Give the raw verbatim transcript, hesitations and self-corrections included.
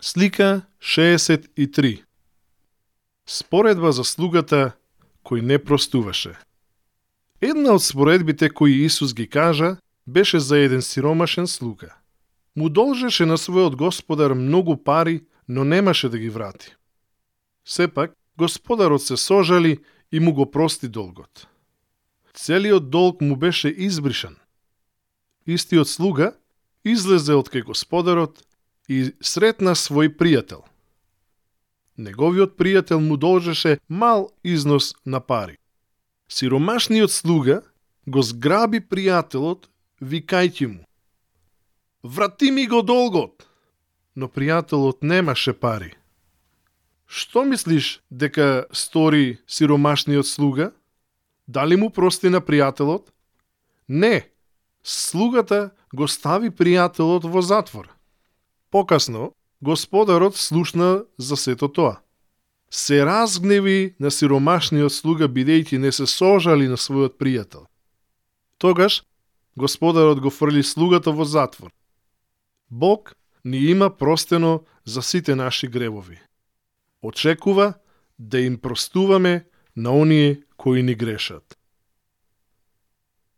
Слика шеесет и три. Споредба за слугата кој не простуваше. Една од споредбите кои Исус ги кажа беше за еден сиромашен слуга. Му должеше на својот господар многу пари, но немаше да ги врати. Сепак, господарот се сожали и му го прости долгот. Целиот долг му беше избришан. Истиот слуга излезе од кај господарот и сретна свој пријател. Неговиот пријател му должеше мал износ на пари. Сиромашниот слуга го зграби пријателот, викајќи му: "Врати ми го долгот!" Но пријателот немаше пари. Што мислиш дека стори сиромашниот слуга? Дали му прости на пријателот? Не, слугата го стави пријателот во затвор. Покасно, господарот слушна за сето тоа. Се разгневи на сиромашниот слуга бидејќи не се сожали на својот пријател. Тогаш, господарот го фрли слугата во затвор. Бог ни има простено за сите наши гревови. Очекува да им простуваме на оние кои ни грешат.